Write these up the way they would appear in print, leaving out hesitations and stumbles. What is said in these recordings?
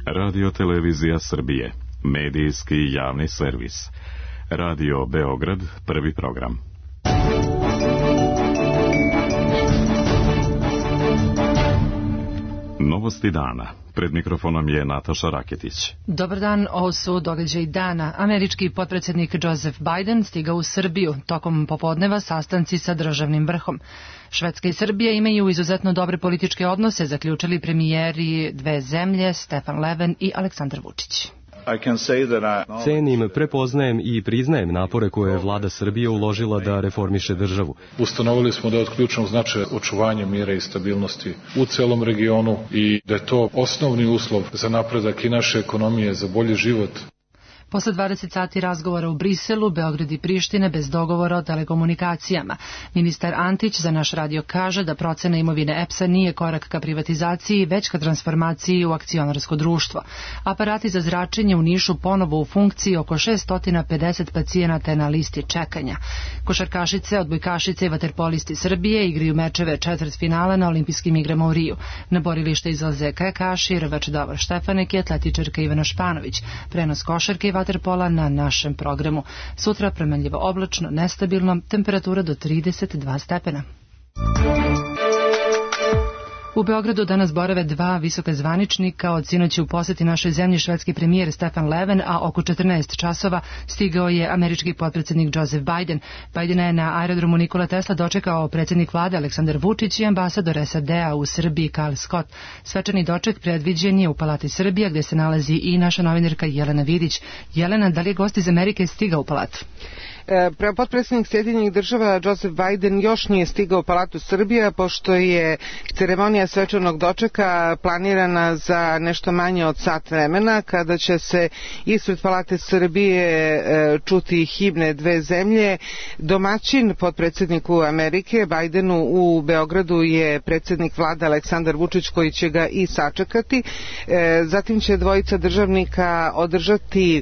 Radio Televizija Srbije, medijski javni servis. Radio Beograd, prvi program. Novosti dana. Pred mikrofonom je Nataša Raketić. Dobar dan, ovo su događaji dana. Američki potpredsjednik Joseph Biden stigao u Srbiju. Tokom popodneva sastanci sa državnim vrhom. Švedska i Srbija imaju izuzetno dobre političke odnose, zaključili premijeri dve zemlje, Stefan Löfven i Aleksandar Vučić. Cenim, prepoznajem i priznajem napore koje je vlada Srbije uložila da reformiše državu. Ustanovili smo da je od ključnog značaja očuvanje mira i stabilnosti u celom regionu i da je to osnovni uslov za napredak i naše ekonomije, za bolji život. Posle 20 sati razgovora u Briselu, Beograd i Priština bez dogovora o telekomunikacijama. Ministar Antić za naš radio kaže da procena imovine EPS-a nije korak ka privatizaciji, već ka transformaciji u akcionarsko društvo. Aparati za zračenje u Nišu ponovo u funkciji, oko 650 pacijenata je na listi čekanja. Košarkašice, odbojkašice i vaterpolisti Srbije igraju mečeve četvrtfinala na olimpijskim igrama u Riju. Na borilište izlaze kajakaši, rvač Davor Štefanek i atletičarka Ivana Španović. Prenos košarke i vaterpola na našem programu. Sutra promenljivo oblačno, nestabilno, temperatura do 32 stepena. U Beogradu danas borave dva visoka zvaničnika, od sinoći u poseti našoj zemlji švedski premijer Stefan Löfven, a oko 14 časova stigao je američki potpredsjednik Joseph Biden. Bidena je na aerodromu Nikola Tesla dočekao predsjednik vlade Aleksandar Vučić i ambasador SAD-a u Srbiji Karl Scott. Svečani doček predviđen je u Palati Srbija, gdje se nalazi i naša novinarka Jelena Vidić. Jelena, da li je gost iz Amerike stigao u palatu? Potpredsjednik Sjedinjenih Država Joseph Biden još nije stigao u Palatu Srbija, pošto je ceremonija svečanog dočeka planirana za nešto manje od sat vremena, kada će se ispred Palate Srbije čuti himne dve zemlje. Domaćin potpredsjedniku Amerike Bidenu u Beogradu je predsjednik vlade Aleksandar Vučić, koji će ga i sačekati. Zatim će dvojica državnika održati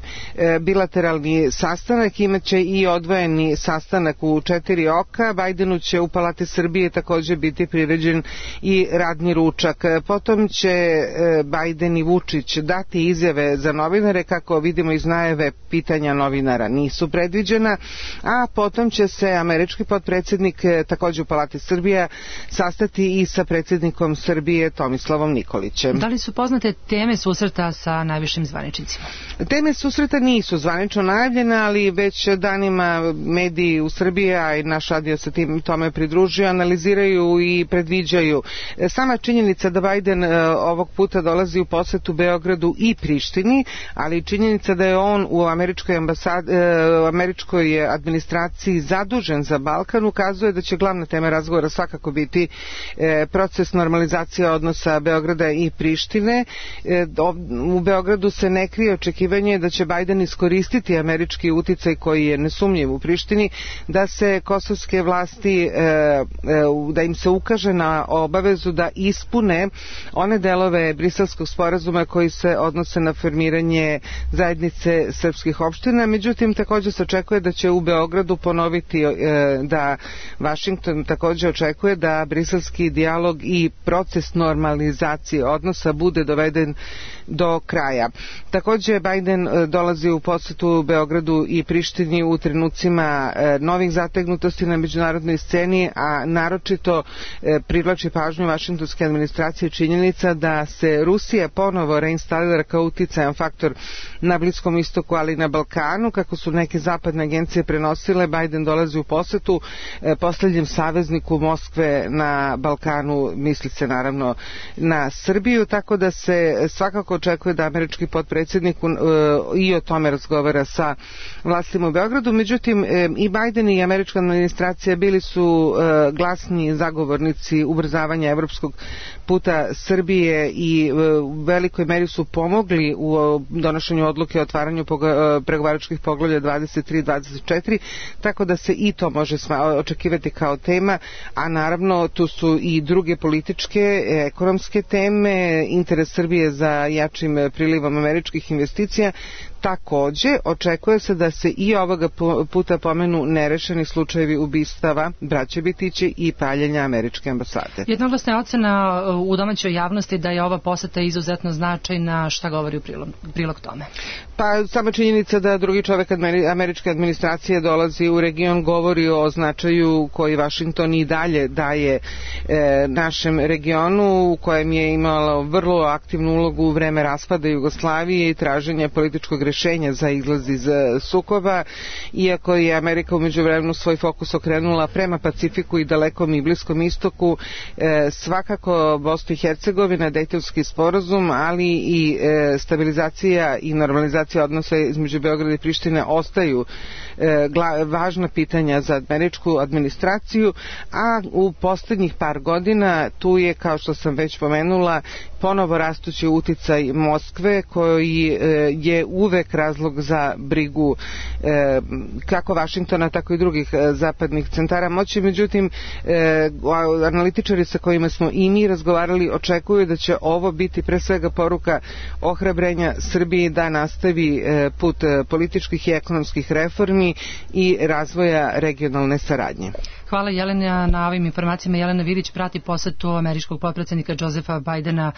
bilateralni sastanak, imaće i odvojeni sastanak u 4 oka. Bidenu će u Palati Srbije također biti priređen i radni ručak. Potom će Biden i Vučić dati izjave za novinare, kako vidimo iz najave pitanja novinara nisu predviđena, a potom će se američki potpredsjednik također u Palati Srbija sastati i sa predsjednikom Srbije Tomislavom Nikolićem. Da li su poznate teme susreta sa najvišim zvaničnicima? Teme susreta nisu zvanično najavljene, ali već danima mediji u Srbiji, a i naš radio se tome pridružuje, analiziraju i predviđaju. Sama činjenica da Biden ovog puta dolazi u posetu Beogradu i Prištini, ali činjenica da je on u američkoj administraciji zadužen za Balkan, ukazuje da će glavna tema razgovora svakako biti proces normalizacije odnosa Beograda i Prištine. U Beogradu se ne krije očekivanje da će Biden iskoristiti američki uticaj koji je nesumnjiv u Prištini, da se kosovske vlasti, da im se ukaže na obavezu da ispune one delove Briselskog sporazuma koji se odnose na formiranje zajednice srpskih opština. Međutim, također se očekuje da će u Beogradu ponoviti da Vašington također očekuje da briselski dijalog i proces normalizacije odnosa bude doveden do kraja. Također Biden dolazi u posetu Beogradu i Prištini u trenucima novih zategnutosti na međunarodnoj sceni, a naročito privlači pažnju vašingtonske administracije činjenica da se Rusija ponovo reinstalira kao uticajan faktor na Bliskom istoku, ali i na Balkanu. Kako su neke zapadne agencije prenosile, Biden dolazi u posetu poslednjem savezniku Moskve na Balkanu, misli se naravno na Srbiju, tako da se svakako očekuje da američki potpredsjednik i o tome razgovara sa vlastima u Beogradu. Međutim, i Biden i američka administracija bili su glasni zagovornici ubrzavanja evropskog puta Srbije i u velikoj meri su pomogli u donošenju odluke o otvaranju pregovaračkih poglavlja 23 i 24, tako da se i to može očekivati kao tema, a naravno tu su i druge političke, ekonomske teme, interes Srbije za jačim prilivom američkih investicija. Takođe, očekuje se da se i ovoga puta pomenu nerešeni slučajevi ubistava braće Bitići i paljenja američke ambasade. Jednoglasna je ocena u domaćoj javnosti da je ova poseta izuzetno značajna. Šta govori u prilog tome? Pa sama činjenica da drugi čovek američke administracije dolazi u region govori o značaju koji Vašington i dalje daje našem regionu, u kojem je imalo vrlo aktivnu ulogu u vreme raspada Jugoslavije i traženja političkog rešenja za izlaz iz sukoba, iako je Amerika u međuvremenu svoj fokus okrenula prema Pacifiku i dalekom i Bliskom istoku, svakako Bosna i Hercegovina, Dejtonski sporazum, ali i stabilizacija i normalizacija odnosa između Beograda i Prištine ostaju važna pitanja za američku administraciju, a u poslednjih par godina tu je, kao što sam već pomenula, ponovo rastući uticaj Moskve, koji je uvek razlog za brigu kako Vašingtona, tako i drugih zapadnih centara moći. Međutim, analitičari sa kojima smo i mi razgovarali očekuju da će ovo biti pre svega poruka ohrabrenja Srbiji da nastavi put političkih i ekonomskih reformi i razvoja regionalne saradnje. Hvala Jelena na ovim informacijama. Jelena Vidić prati posetu američkog potpredsjednika Josepha Bidena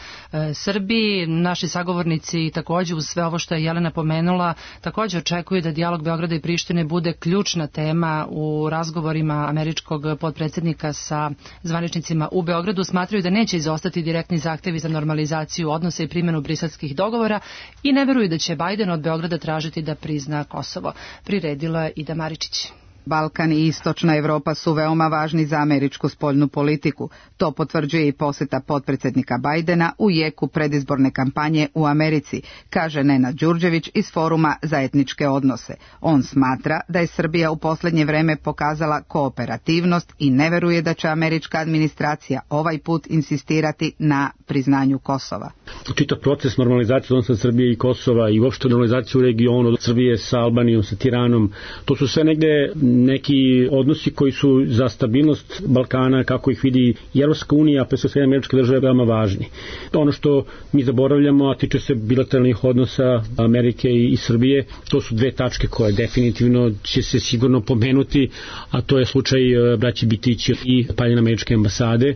Srbiji. Naši sagovornici takođe uz sve ovo što je Jelena pomenula takođe očekuju da dijalog Beograda i Prištine bude ključna tema u razgovorima američkog potpredsjednika sa zvaničnicima u Beogradu. Smatraju da neće izostati direktni zahtevi za normalizaciju odnosa i primjenu briselskih dogovora i ne veruju da će Biden od Beograda tražiti da prizna Kosovo. Priredila je Ida Maričić. Balkan i Istočna Evropa su veoma važni za američku spoljnu politiku. To potvrđuje i poseta potpredsjednika Bidena u jeku predizborne kampanje u Americi, kaže Nenad Đurđević iz Foruma za etničke odnose. On smatra da je Srbija u posljednje vreme pokazala kooperativnost i ne veruje da će američka administracija ovaj put insistirati na priznanju Kosova. Čitav proces normalizacije odnosa Srbije i Kosova i uopšte normalizaciju u regionu Srbije sa Albanijom, sa Tiranom, to su sve negde neki odnosi koji su za stabilnost Balkana, kako ih vidi i Evropska unija, pre sve američke države, veoma važni. Ono što mi zaboravljamo, a tiče se bilateralnih odnosa Amerike i Srbije, to su dve tačke koje definitivno će se sigurno pomenuti, a to je slučaj braći Bitići i paljenja američke ambasade.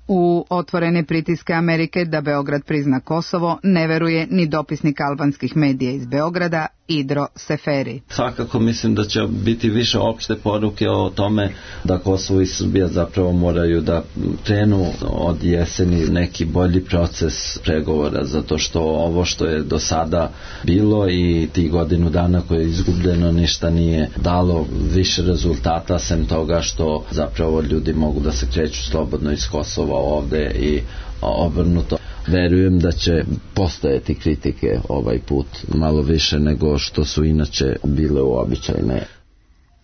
U otvorene pritiske Amerike da Beograd prizna Kosovo ne veruje ni dopisnik albanskih medija iz Beograda, Idro Seferi. Svakako mislim da će biti više opšte poruke o tome da Kosovo i Srbija zapravo moraju da krenu od jeseni neki bolji proces pregovora, zato što ovo što je do sada bilo i ti godinu dana koje je izgubljeno ništa nije dalo više rezultata, sem toga što zapravo ljudi mogu da se kreću slobodno iz Kosova ovde i obrnuto. Verujem da će postojati kritike ovaj put malo više nego što su inače bile uobičajene.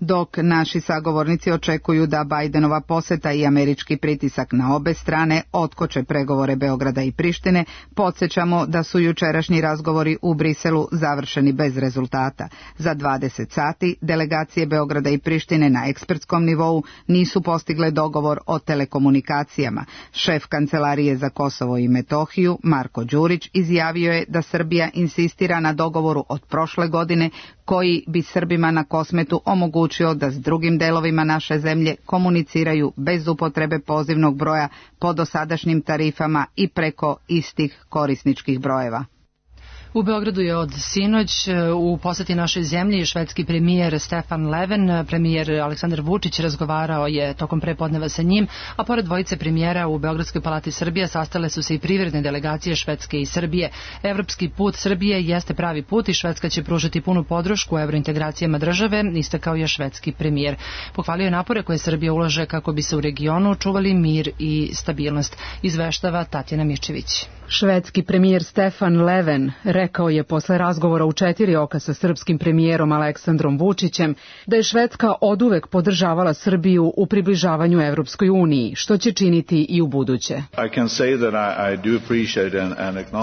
Dok naši sagovornici očekuju da Bidenova poseta i američki pritisak na obe strane otkoče pregovore Beograda i Prištine, podsjećamo da su jučerašnji razgovori u Briselu završeni bez rezultata. Za 20 sati delegacije Beograda i Prištine na ekspertskom nivou nisu postigle dogovor o telekomunikacijama. Šef Kancelarije za Kosovo i Metohiju, Marko Đurić, izjavio je da Srbija insistira na dogovoru od prošle godine koji bi Srbima na Kosmetu omogućio da s drugim delovima naše zemlje komuniciraju bez upotrebe pozivnog broja po dosadašnjim tarifama i preko istih korisničkih brojeva. U Beogradu je od sinoć u poseti našoj zemlji švedski premijer Stefan Löfven. Premijer Aleksandar Vučić razgovarao je tokom prepodneva sa njim, a pored dvojice premijera u Beogradskoj palati Srbije sastale su se i privredne delegacije Švedske i Srbije. Evropski put Srbije jeste pravi put i Švedska će pružiti punu podršku evrointegracijama države, istakao je švedski premijer. Pohvalio je napore koje Srbija ulaže kako bi se u regionu čuvali mir i stabilnost, izveštava Tatjana Mičević. Švedski premijer Stefan Löfven rekao je posle razgovora u 4 oka sa srpskim premijerom Aleksandrom Vučićem da je Švedska oduvek podržavala Srbiju u približavanju Evropskoj uniji, što će činiti i u buduće.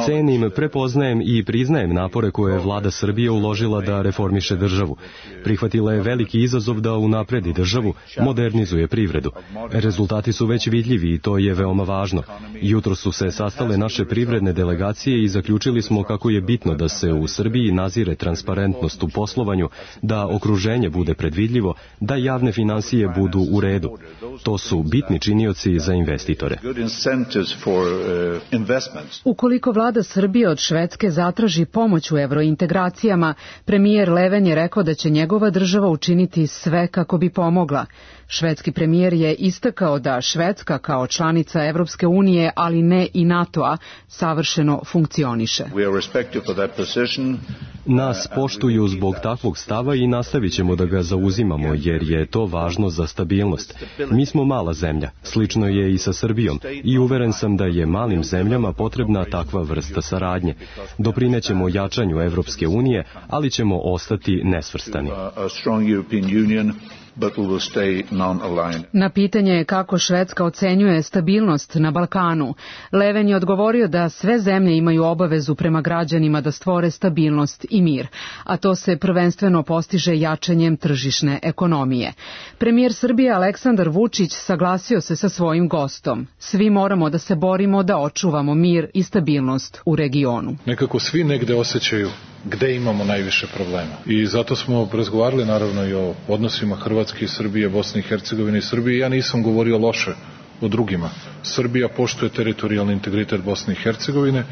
Cenim, prepoznajem i priznajem napore koje je vlada Srbije uložila da reformiše državu. Prihvatila je veliki izazov da unapredi državu, modernizuje privredu. Rezultati su već vidljivi i to je veoma važno. Jutro su se sastale naše privredne delegacije i zaključili smo kako je bitno da se u Srbiji nazire transparentnost u poslovanju, da okruženje bude predvidljivo, da javne finansije budu u redu. To su bitni činioci za investitore. Ukoliko vlada Srbije od Švedske zatraži pomoć u evrointegracijama, premijer Leven je rekao da će njegova država učiniti sve kako bi pomogla. Švedski premijer je istakao da Švedska kao članica Evropske unije, ali ne i NATO-a, savršeno funkcioniše. Nas poštuju zbog takvog stava i nastavit ćemo da ga zauzimamo, jer je to važno za stabilnost. Mi smo mala zemlja, slično je i sa Srbijom, i uveren sam da je malim zemljama potrebna takva vrsta saradnje. Doprinećemo jačanju Evropske unije, ali ćemo ostati nesvrstani. Na pitanje kako Švedska ocenjuje stabilnost na Balkanu, Leven je odgovorio da sve zemlje imaju obavezu prema građanima da stvore stabilnost i mir, a to se prvenstveno postiže jačanjem tržišne ekonomije. Premijer Srbije Aleksandar Vučić saglasio se sa svojim gostom. Svi moramo da se borimo da očuvamo mir i stabilnost u regionu. Nekako svi negde osjećaju gde imamo najviše problema. I zato smo razgovarali naravno i o odnosima Hrvatske, Srbije, Bosne i Hercegovine i Srbije. Ja nisam govorio loše o drugima. Srbija poštuje teritorijalni integritet Bosne i Hercegovine,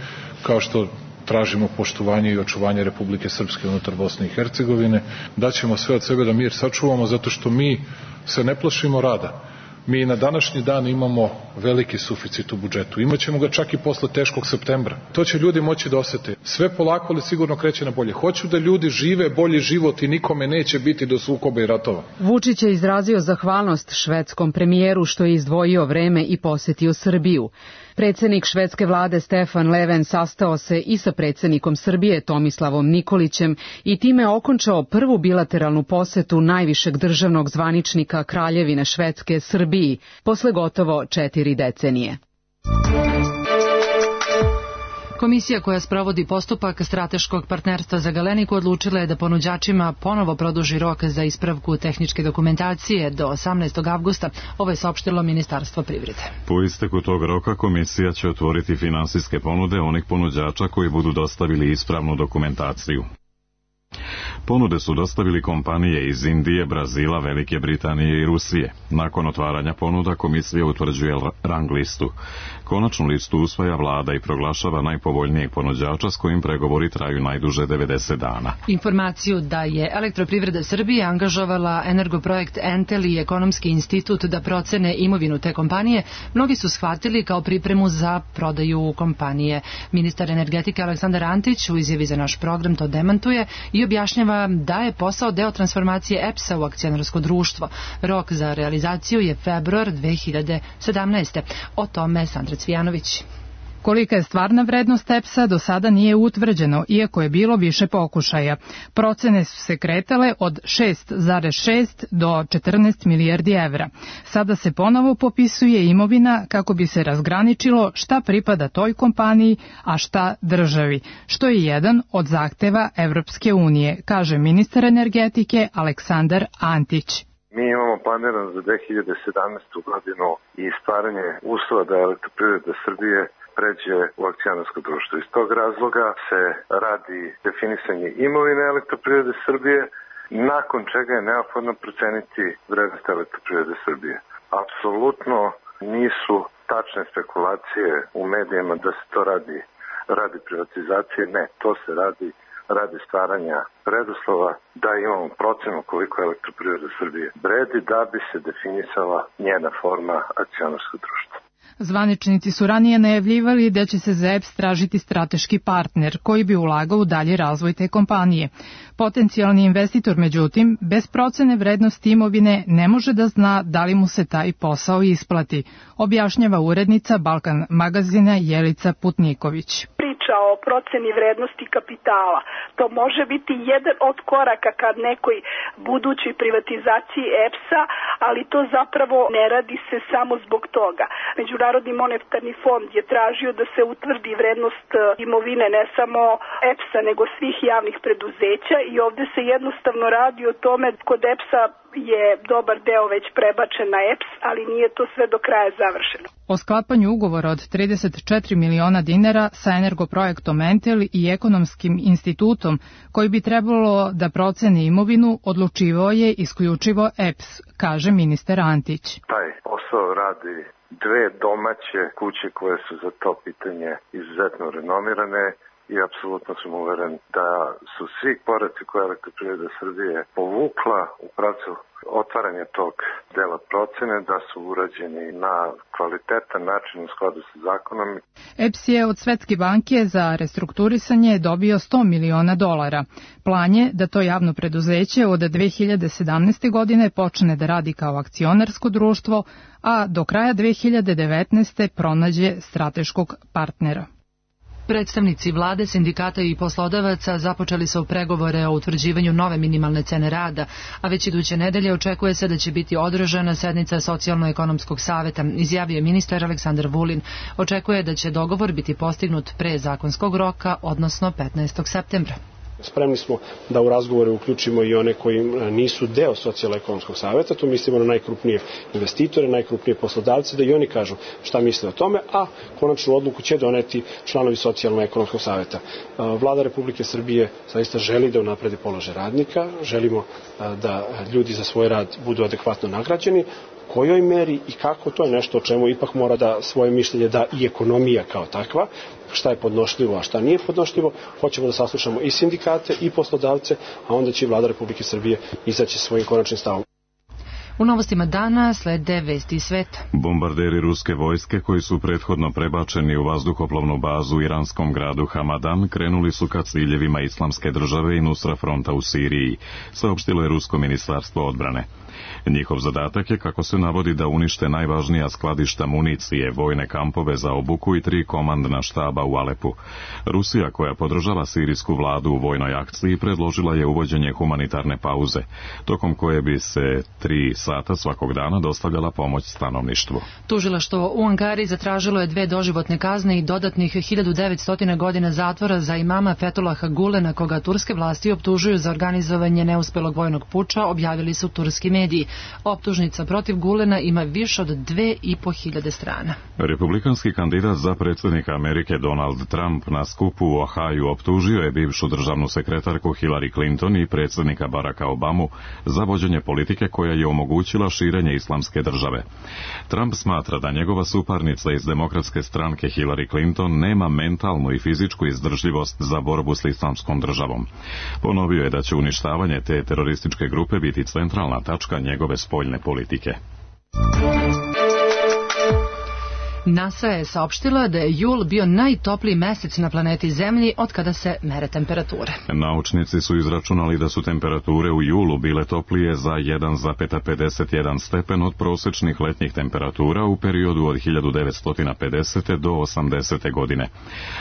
kao što tražimo poštovanje i očuvanje Republike Srpske unutar Bosne i Hercegovine. Daćemo sve od sebe da mir sačuvamo, zato što mi se ne plašimo rada. Mi na današnji dan imamo veliki suficit u budžetu. Imaćemo ga čak i posle teškog septembra. To će ljudi moći da osete. Sve polako, ali sigurno kreće na bolje. Hoću da ljudi žive bolji život i nikome neće biti do sukoba i ratova. Vučić je izrazio zahvalnost švedskom premijeru što je izdvojio vreme i posetio Srbiju. Predsjednik švedske vlade Stefan Leven sastao se i sa predsjednikom Srbije Tomislavom Nikolićem i time okončao prvu bilateralnu posetu najvišeg državnog zvaničnika Kraljevine Švedske Srbiji posle gotovo 4 decenije. Komisija koja sprovodi postupak strateškog partnerstva za Galeniku odlučila je da ponuđačima ponovo produži rok za ispravku tehničke dokumentacije do 18. avgusta. Ovo je saopštilo Ministarstvo privrede. Po isteku tog roka komisija će otvoriti finansijske ponude onih ponuđača koji budu dostavili ispravnu dokumentaciju. Ponude su dostavili kompanije iz Indije, Brazila, Velike Britanije i Rusije. Nakon otvaranja ponuda komisija utvrđuje rang listu. Konačnu listu usvaja vlada i proglašava najpovoljnijeg ponuđača s kojim pregovori traju najduže 90 dana. Informaciju da je Elektroprivreda Srbije angažovala Energoprojekt Entel i Ekonomski institut da procene imovinu te kompanije, mnogi su shvatili kao pripremu za prodaju kompanije. Ministar energetike Aleksandar Antić u izjavi za naš program to demantuje i objašnjava da je posao deo transformacije EPS-a u akcionarsko društvo. Rok za realizaciju je februar 2017. O tome Sandra Cvijanović. Kolika je stvarna vrednost EPS-a do sada nije utvrđeno, iako je bilo više pokušaja. Procene su se kretale od 6,6 do 14 milijardi evra. Sada se ponovo popisuje imovina kako bi se razgraničilo šta pripada toj kompaniji, a šta državi, što je jedan od zahteva Evropske unije, kaže ministar energetike Aleksandar Antić. Mi imamo planiran za 2017. godinu i stvaranje uslova da Elektroprivreda Srbije pređe u akcionarsko društvo. Iz tog razloga se radi definisanje imovine Elektroprivrede Srbije, nakon čega je neophodno proceniti vrednost Elektroprivrede Srbije. Apsolutno nisu tačne spekulacije u medijima da se to radi privatizacije, ne, to se radi stvaranja preduslova da imamo procenu koliko Elektroprivreda Srbije vredi da bi se definisala njena forma akcionarskog društva. Zvaničnici su ranije najavljivali da će se za EPS tražiti strateški partner koji bi ulagao u dalji razvoj te kompanije. Potencijalni investitor, međutim, bez procene vrednosti imovine ne može da zna da li mu se taj posao isplati, objašnjava urednica Balkan magazina Jelica Putniković. O proceni vrednosti kapitala. To može biti jedan od koraka kad nekoj budućoj privatizaciji EPS-a, ali to zapravo ne radi se samo zbog toga. Međunarodni monetarni fond je tražio da se utvrdi vrednost imovine ne samo EPS-a nego svih javnih preduzeća i ovde se jednostavno radi o tome kod EPS-a je dobar deo već prebačen na EPS, ali nije to sve do kraja završeno. O sklapanju ugovora od 34 miliona dinara sa Energoprojektom Entel i Ekonomskim institutom, koji bi trebalo da proceni imovinu, odlučivao je isključivo EPS, kaže ministar Antić. Taj posao radi dve domaće kuće koje su za to pitanje izuzetno renomirane i apsolutno sam uveren da su svi koraci koje Elektroprivreda Srbije povukla u pravcu otvaranja tog dela procene, da su urađeni na kvalitetan način u skladu sa zakonom. EPS je od Svetske banke za restrukturisanje dobio $100 miliona. Plan je da to javno preduzeće od 2017. godine počne da radi kao akcionarsko društvo, a do kraja 2019. pronađe strateškog partnera. Predstavnici vlade, sindikata i poslodavaca započeli su pregovore o utvrđivanju nove minimalne cene rada, a već iduće nedelje očekuje se da će biti održana sednica Socijalno-ekonomskog saveta, izjavio ministar Aleksandar Vulin. Očekuje da će dogovor biti postignut pre zakonskog roka, odnosno 15. septembra. Spremni smo da u razgovore uključimo i one koji nisu deo Socijalno-ekonomskog saveta, tu mislimo na najkrupnije investitore, najkrupnije poslodavce, da i oni kažu šta misle o tome, a konačnu odluku će doneti članovi Socijalno-ekonomskog saveta. Vlada Republike Srbije zaista želi da unapredi položaj radnika, želimo da ljudi za svoj rad budu adekvatno nagrađeni, kojoj meri i kako, to je nešto o čemu ipak mora da svoje mišljenje da i ekonomija kao takva, šta je podnošljivo, a šta nije podnošljivo. Hoćemo da saslušamo i sindikate i poslodavce, a onda će Vlada Republike Srbije izaći svojim konačnim stavom. U novostima dana slede vesti sveta. Bombarderi ruske vojske koji su prethodno prebačeni u vazduhoplovnu bazu u iranskom gradu Hamadan krenuli su ka ciljevima Islamske države i Nusra fronta u Siriji, saopštilo je Rusko ministarstvo odbrane. Njihov zadatak je, kako se navodi, da unište najvažnija skladišta municije, vojne kampove za obuku i 3 komandna štaba u Alepu. Rusija, koja podržava sirijsku vladu u vojnoj akciji, predložila je uvođenje humanitarne pauze, tokom koje bi se 3 sata svakog dana dostavljala pomoć stanovništvu. Tužilaštvo u Ankari zatražilo je 2 doživotne kazne i dodatnih 1900 godina zatvora za imama Fethullaha Gulena, koga turske vlasti optužuju za organizovanje neuspelog vojnog puča, objavili su turski mediji. Optužnica protiv Gulena ima više od 2500 strana. Republikanski kandidat za predsjednika Amerike Donald Trump na skupu u Ohaju optužio je bivšu državnu sekretarku Hillary Clinton i predsjednika Baracka Obamu za vođenje politike koja je omogućila širenje islamske države. Trump smatra da njegova suparnica iz demokratske stranke Hillary Clinton nema mentalnu i fizičku izdržljivost za borbu s islamskom državom. Ponovio je da će uništavanje te terorističke grupe biti centralna tačka njegove spoljne politike. NASA je saopštila da je jul bio najtopliji mesec na planeti Zemlji od kada se mere temperature. Naučnici su izračunali da su temperature u julu bile toplije za 1,51 stepen od prosečnih letnjih temperatura u periodu od 1950. do 80. godine.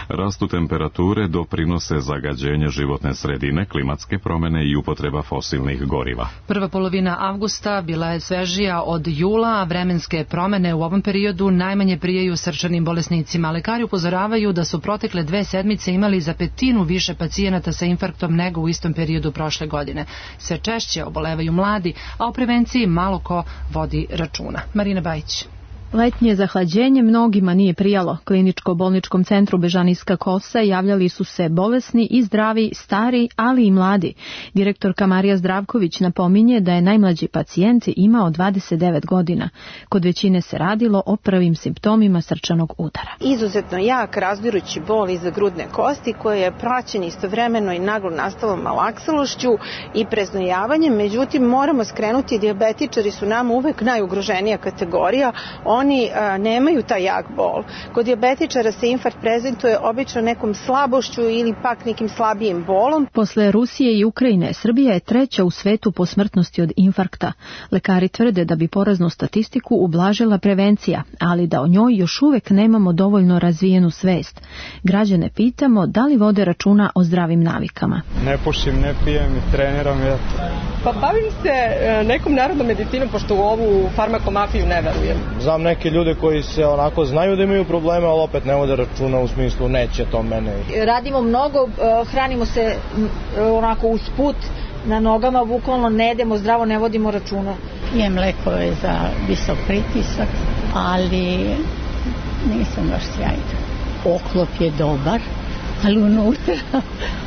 Rastu temperature doprinose zagađenje životne sredine, klimatske promjene i upotreba fosilnih goriva. Prva polovina avgusta bila je svežija od jula, a vremenske promjene u ovom periodu najmanje prijaju srčanim bolesnicima. Lekari upozoravaju da su protekle 2 sedmice imali za 1/5 više pacijenata sa infarktom nego u istom periodu prošle godine. Sve češće obolevaju mladi, a o prevenciji malo ko vodi računa. Marina Bajić. Letnje zahlađenje mnogima nije prijalo. Kliničko-bolničkom centru Bežanijska Kosa javljali su se bolesni i zdravi, stari, ali i mladi. Direktorka Marija Zdravković napominje da je najmlađi pacijent imao 29 godina. Kod većine se radilo o prvim simptomima srčanog udara. Izuzetno jak, razdirući bol iza grudne kosti koji je praćen istovremeno i naglo nastalom malaksalošću i preznojavanjem. Međutim, moramo skrenuti, dijabetičari su nam uvek najugroženija kategorija. Oni nemaju taj jak bol. Kod dijabetičara se infarkt prezentuje obično nekom slabošću ili pak nekim slabijim bolom. Posle Rusije i Ukrajine, Srbija je 3. u svetu po smrtnosti od infarkta. Lekari tvrde da bi poraznu statistiku ublažila prevencija, ali da o njoj još uvek nemamo dovoljno razvijenu svest. Građane pitamo da li vode računa o zdravim navikama. Ne pušim, ne pijem i treniram. Pa bavim se nekom narodnom medicinom, pošto u ovu farmakomafiju ne verujem. Znam neke ljude koji se onako znaju da imaju probleme, ali opet ne vode računa u smislu neće to mene. Radimo mnogo, hranimo se onako usput, na nogama, bukvalno ne jedemo zdravo, ne vodimo računa. Pijem lekove za visok pritisak, ali nisam baš sjajna. Oklop je dobar, ali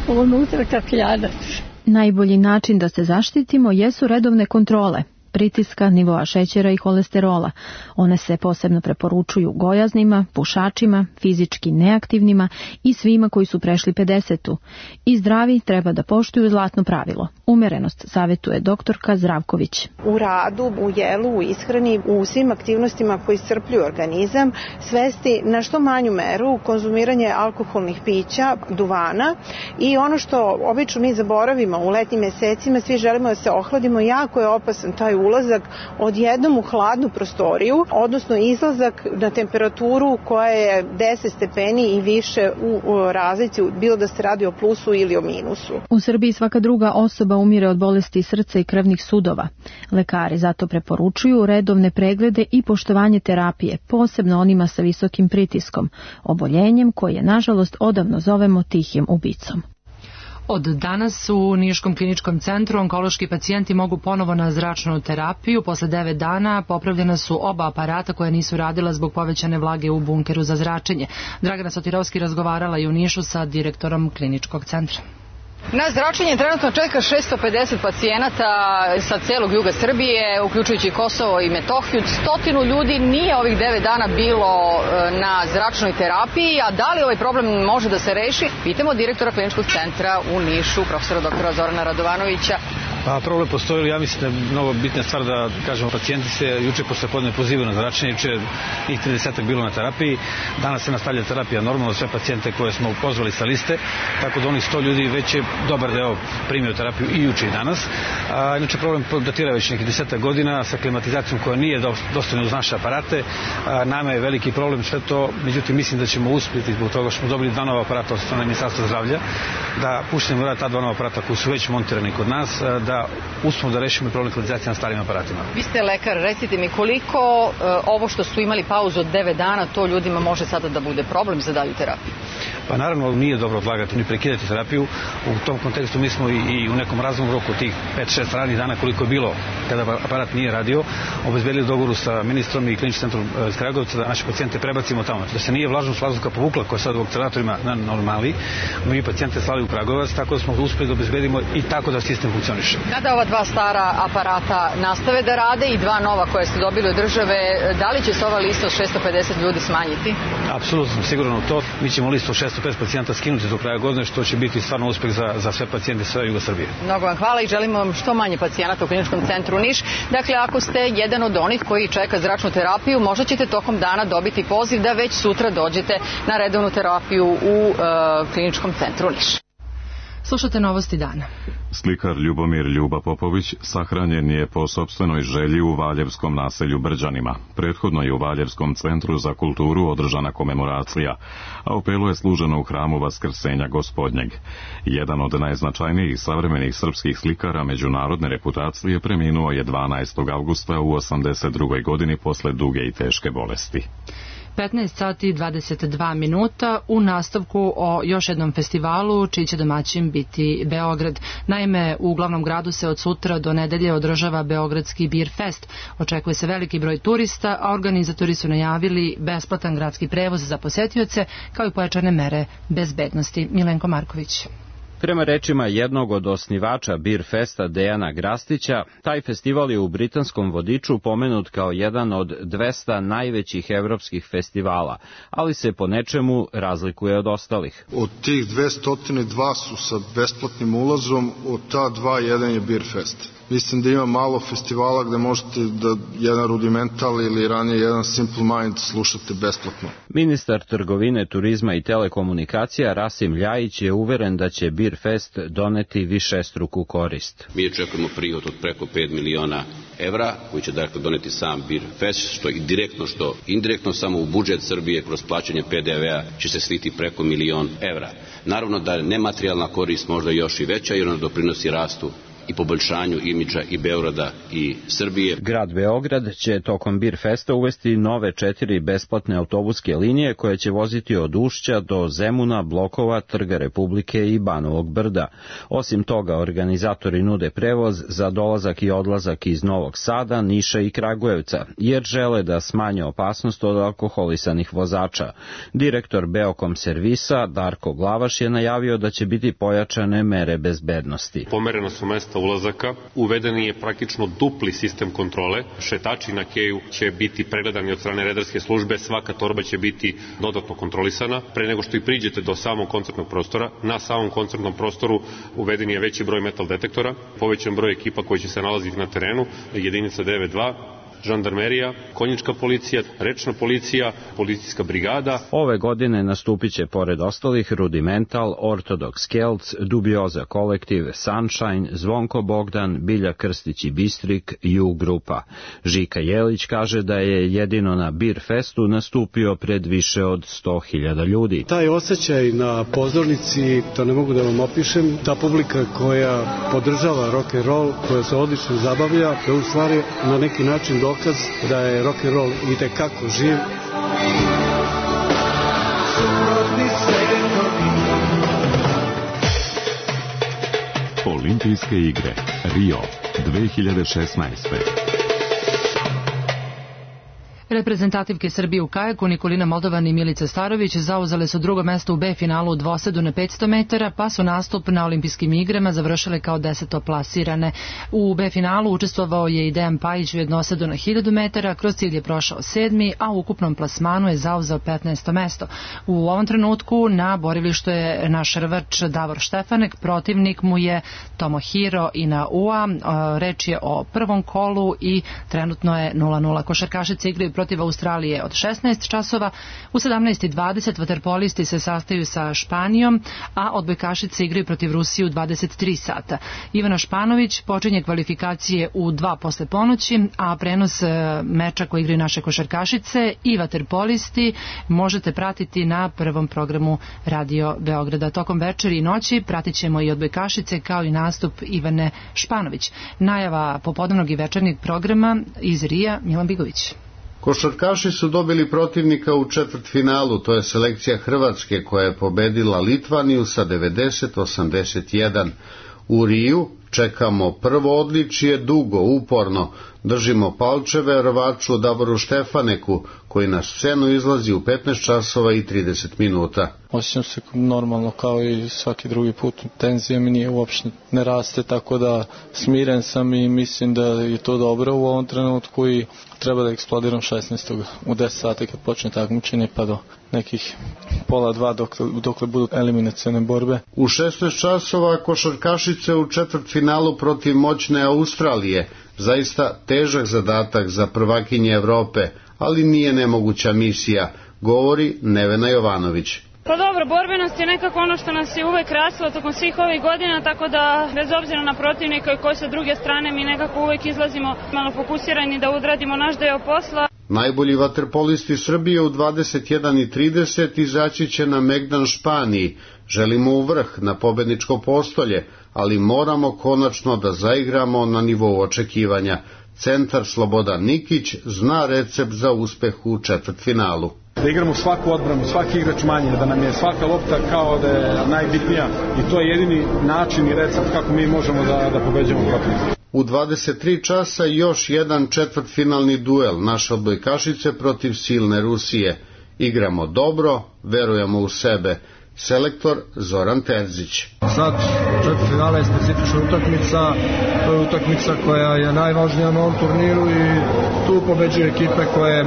unutra kakljadac. Najbolji način da se zaštitimo jesu redovne kontrole pritiska, nivoa šećera i holesterola. One se posebno preporučuju gojaznima, pušačima, fizički neaktivnima i svima koji su prešli 50-tu. I zdravi treba da poštuju zlatno pravilo. Umerenost savjetuje doktorka Zdravković. U radu, u jelu, u ishrani, u svim aktivnostima koji iscrpljuju organizam, svesti na što manju meru konzumiranje alkoholnih pića, duvana i ono što obično mi zaboravimo u letnjim mesecima, svi želimo da se ohladimo, jako je opasan taj ulazak odjednom u hladnu prostoriju, odnosno izlazak na temperaturu koja je 10 stepeni i više u razlici, bilo da se radi o plusu ili o minusu. U Srbiji svaka druga osoba umire od bolesti srca i krvnih sudova. Lekari zato preporučuju redovne preglede i poštovanje terapije, posebno onima sa visokim pritiskom, oboljenjem koje nažalost odavno zovemo tihim ubicom. Od danas u Niškom kliničkom centru onkološki pacijenti mogu ponovo na zračnu terapiju. Posle 9 dana popravljena su oba aparata koja nisu radila zbog povećane vlage u bunkeru za zračenje. Dragana Sotirovski razgovarala i u Nišu sa direktorom kliničkog centra. Na zračenje trenutno čeka 650 pacijenata sa celog juga Srbije, uključujući Kosovo i Metohiju. 100 ljudi nije ovih 9 dana bilo na zračnoj terapiji, a da li ovaj problem može da se reši? Pitamo direktora kliničkog centra u Nišu, profesora doktora Zorana Radovanovića. Pa problem postoji, ja mislim da je mnogo bitna stvar da kažemo, pacijenti se juče posle podne pozivaju na zračenje, juče njih 30 bilo na terapiji, danas se nastavlja terapija normalno, sve pacijente koje smo pozvali sa liste, tako da onih 100 ljudi već je dobar deo primio terapiju i juče i danas. Inače problem datira već nekih 10 godina sa klimatizacijom koja nije dostatna uz naše aparate. Nama je veliki problem sve to, međutim mislim da ćemo uspjeti zbog toga što smo dobili 2 nova aparata od strane Ministarstva zdravlja, da puštimo rad ta 2 nova aparata koji su već montirani kod nas, da uspemo da rešimo problem klimatizacije na starim aparatima. Vi ste lekar, recite mi koliko ovo što su imali pauzu od 9 dana, to ljudima može sada da bude problem za dalju terapiju? Pa naravno nije dobro odlagati ni prekidati terapiju. U tom kontekstu mi smo i u nekom razumnom roku tih 5-6 radnih dana koliko je bilo kada aparat nije radio, obezbedili dogovoru sa ministrom i kliničkim centrom iz Kragujevca da naše pacijente prebacimo tamo. Da se nije vlažnost vazduha povukla koja je sad u akceleratorima na normali, mi pacijente slali u Kragujevac, tako da smo uspeli da obezbedimo i tako da sistem funkcioniše. Kada ova 2 stara aparata nastave da rade i 2 nova koje ste dobili od države, da li će se ova lista od 650 ljudi smanjiti? Apsolutno sam siguran u to. Mi ćemo listu od 650 pacijenta skinuti do kraja godine, što će biti stvarno uspeh za sve pacijente sa juga Srbije. Mnogo vam hvala i želimo vam što manje pacijenata u kliničkom centru Niš. Dakle, ako ste jedan od onih koji čeka zračnu terapiju, možda ćete tokom dana dobiti poziv da već sutra dođete na redovnu terapiju u kliničkom centru Niš. Slušate novosti dana. Slikar Ljubomir Ljuba Popović sahranjen je po sopstvenoj želji u Valjevskom naselju Brđanima. Prethodno je u Valjevskom centru za kulturu održana komemoracija, a opelo je služeno u hramu Vaskrsenja Gospodnjeg. Jedan od najznačajnijih savremenih srpskih slikara međunarodne reputacije preminuo je 12. avgusta u 82. godini posle duge i teške bolesti. 15 sati 22 minuta u nastavku o još jednom festivalu čiji će domaćin biti Beograd. Naime, u glavnom gradu se od sutra do nedelje održava Beogradski Beer Fest. Očekuje se veliki broj turista, a organizatori su najavili besplatan gradski prevoz za posetioce kao i pojačane mere bezbednosti. Milenko Marković. Prema rečima jednog od osnivača Beer Festa Dejana Grastića, taj festival je u britanskom vodiču pomenut kao jedan od 200 najvećih evropskih festivala, ali se po nečemu razlikuje od ostalih. Od tih 202 su sa besplatnim ulazom, od ta 2 jedan je Beer Fest. Mislim da ima malo festivala gde možete da jedan rudimental ili ranije jedan Simple Mind slušate besplatno. Ministar trgovine, turizma i telekomunikacija Rasim Ljajić je uveren da će Beer Fest doneti višestruku korist. Mi očekujemo prihod od preko 5 miliona evra, koji će dakle doneti sam Beer Fest, što i direktno, što indirektno samo u budžet Srbije kroz plaćanje PDV-a će se sliti preko 1 milion evra. Naravno da je nematerijalna korist možda još i veća jer ona doprinosi rastu i poboljšanju imidža i Beograda i Srbije. Grad Beograd će tokom Bir Festa uvesti nove 4 besplatne autobuske linije koje će voziti od Ušća do Zemuna, Blokova, Trga Republike i Banovog Brda. Osim toga, organizatori nude prevoz za dolazak i odlazak iz Novog Sada, Niša i Kragujevca, jer žele da smanje opasnost od alkoholisanih vozača. Direktor Beokom servisa Darko Glavaš je najavio da će biti pojačane mere bezbednosti. Pomereno su mesta ulazaka, uveden je praktično dupli sistem kontrole, šetači na keju će biti pregledani od strane redarske službe, svaka torba će biti dodatno kontrolisana. Pre nego što i priđete do samog koncertnog prostora, na samom koncertnom prostoru uveden je veći broj metal detektora, povećan broj ekipa koji će se nalaziti na terenu, jedinica 9-2, žandarmerija, konjička policija, rečna policija, policijska brigada. Ove godine nastupit će pored ostalih Rudimental, Ortodox Kelts, Dubioza kolektiv, Sunshine, Zvonko Bogdan, Bilja Krstić i Bistrik, U grupa. Žika Jelić kaže da je jedino na Bir Festu nastupio pred više od 100.000 ljudi. Taj osjećaj na pozornici, to ne mogu da vam opišem, ta publika koja podržava rock and roll, koja se odlično zabavlja, je u stvari na neki način dokaz da je rock and roll itekako živ. Olimpijske igre Rio 2016. Reprezentativke Srbije u kajaku Nikolina Moldovan i Milica Starović zauzele su drugo mesto u B finalu u dvosedu na 500 metara, pa su nastup na olimpijskim igrama završile kao 10. plasirane. U B finalu učestvovao je i Dejan Pajić u jednosedu na 1000 metara, kroz cilj je prošao 7. a u ukupnom plasmanu je zauzeo 15. mesto. U ovom trenutku na borilištu je naš rvač Davor Štefanek, protivnik mu je Tomohiro Inaua, reč je o prvom kolu i trenutno je 0-0. Košarkašice igraju protiv Australije od 16 časova. U 17:20 vaterpolisti se sastaju sa Španijom, a odbojkašice igraju protiv Rusije u 23 sata. Ivana Španović počinje kvalifikacije u 2 posle ponoći, a prenos meča koji igraju naše košarkašice i vaterpolisti možete pratiti na prvom programu Radio Beograda. Tokom večeri i noći pratit ćemo i odbojkašice kao i nastup Ivane Španović. Najava popodnevnog i večernjeg programa iz Rija, Milan Bigović. Košarkaši su dobili protivnika u četvrtfinalu, to je selekcija Hrvatske koja je pobedila Litvaniju sa 90-81. U Riju čekamo prvo odličje dugo, uporno. Držimo palčeve rvaču Davoru Štefaneku, koji na scenu izlazi u 15 časova i 30 minuta. Osjećam se normalno kao i svaki drugi put. Tenzija mi nije uopšte ne raste, tako da smiren sam i mislim da je to dobro u ovom trenutku i treba da eksplodiram 16. u 10 sati kad počne takmičenje pa do nekih 1:30 dokle budu eliminacione borbe. U 16 časova košarkašice u četvrtfinalu protiv moćne Australije. Zaista težak zadatak za prvakinje Evrope, ali nije nemoguća misija, govori Nevena Jovanović. Pa dobro, borbenost je nekako ono što nas je uvek raslo tokom svih ovih godina, tako da bez obzira na protivnika i koji sa druge strane mi nekako uvek izlazimo malo fokusirani da odradimo naš deo posla. Najbolji vaterpolisti Srbije u 21:30 izaći će na Megdan Španiji. Želimo u vrh, na pobedničko postolje, ali moramo konačno da zaigramo na nivou očekivanja. Centar Slobodan Nikić zna recept za uspeh u četvrtfinalu. Da igramo svaku odbranu, svaki igrač manje, da nam je svaka lopta kao da je najbitnija i to je jedini način i recept kako mi možemo da pobeđamo protivnika. U 23 časa još jedan četvrtfinalni duel naše odbojkašice protiv silne Rusije. Igramo dobro, verujemo u sebe. Selektor Zoran Terzić. Sad četvrtfinale je specifična utakmica, to je utakmica koja je najvažnija na ovom turniru i tu pobeđuju ekipe koje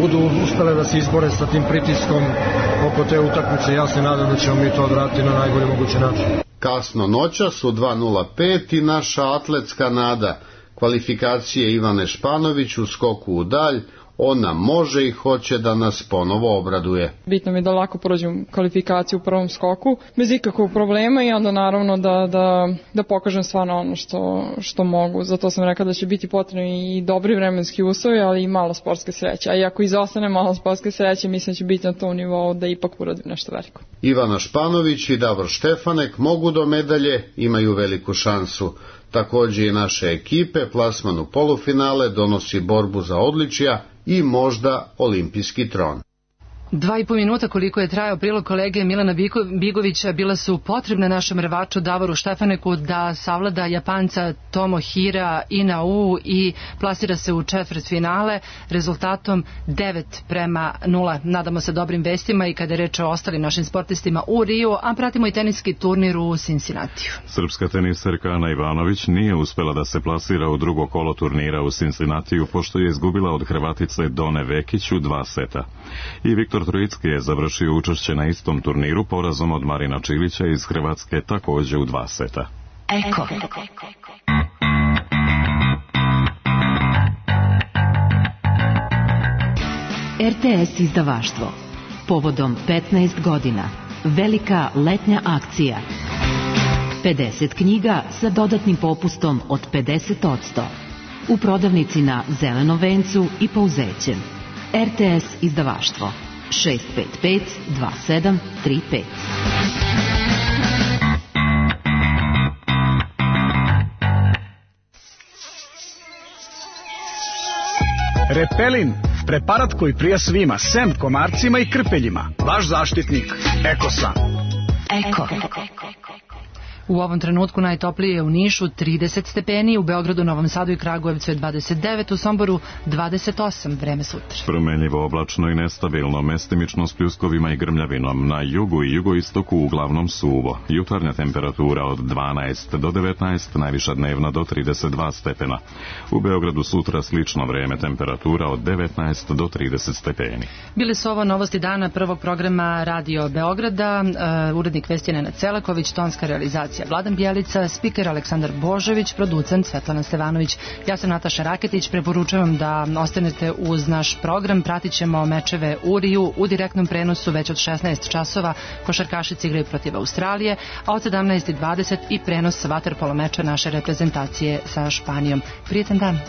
budu uspele da se izbore sa tim pritiskom oko te utakmice. Ja se nadam da ćemo mi to odraditi na najbolji mogući način. Kasno noćas u 2:05 i naša atletska nada. Kvalifikacije Ivane Španović u skoku u dalj. Ona može i hoće da nas ponovo obraduje. Bitno mi je da lako prođem kvalifikaciju u prvom skoku, bez ikakvog problema i onda naravno da pokažem stvarno ono što mogu. Zato sam rekla da će biti potrebni i dobri vremenski uslovi, ali i malo sportske sreće. A i ako izostane malo sportske sreće, mislim da će biti na tom nivou da ipak uradim nešto veliko. Ivana Španović i Davor Štefanek mogu do medalje, imaju veliku šansu. Takođe i naše ekipe, plasman u polufinale donosi borbu za odličja i možda olimpijski tron. 2,5 minuta koliko je trajao prilog kolege Milana Bigovića bila su potrebne našem rvaču Davoru Štefaneku da savlada Japanca Tomohira Inau i plasira se u četvrtfinale rezultatom 9:0. Nadamo se dobrim vestima i kada je reč o ostalim našim sportistima u Riju, a pratimo i teniski turnir u Cincinnatiju. Srpska teniserka Ana Ivanović nije uspela da se plasira u drugo kolo turnira u Cincinnatiju pošto je izgubila od Hrvatice Done Vekić u 2 seta. I Viktor Trojicki je završio učešće na istom turniru porazom od Marina Čilića iz Hrvatske takođe u 2 seta. Eko. RTS izdavaštvo. Povodom 15 godina. Velika letnja akcija. 50 knjiga sa dodatnim popustom od 50%. U prodavnici na Zelenom vencu i Pauzećem. RTS izdavaštvo 655 2735. Repelin, preparat koji prija svima, sem komarcima i krpeljima. Vaš zaštitnik, Ekosan. Eko. U ovom trenutku najtoplije je u Nišu 30 stepeni, u Beogradu, Novom Sadu i Kragujevcu je 29, u Somboru 28, vreme sutra. Promenljivo, oblačno i nestabilno, mestimično s pljuskovima i grmljavinom. Na jugu i jugoistoku uglavnom suvo. Jutarnja temperatura od 12 do 19, najviša dnevna do 32 stepena. U Beogradu sutra slično vreme, temperatura od 19 do 30 stepeni. Bili su ovo novosti dana prvog programa Radio Beograda, urednik vesti Nenad Celaković, tonska realizacija Vladan Bjelica, spiker Aleksandar Božović, producent Svetlana Stevanović. Ja sam Nataša Raketić, preporučujem da ostanete uz naš program, pratit ćemo mečeve u Riju u direktnom prenosu već od 16 časova, košarkašice igraju protiv Australije, a od 17:20 i prenos vaterpolo meča naše reprezentacije sa Španijom. Prijetan dan!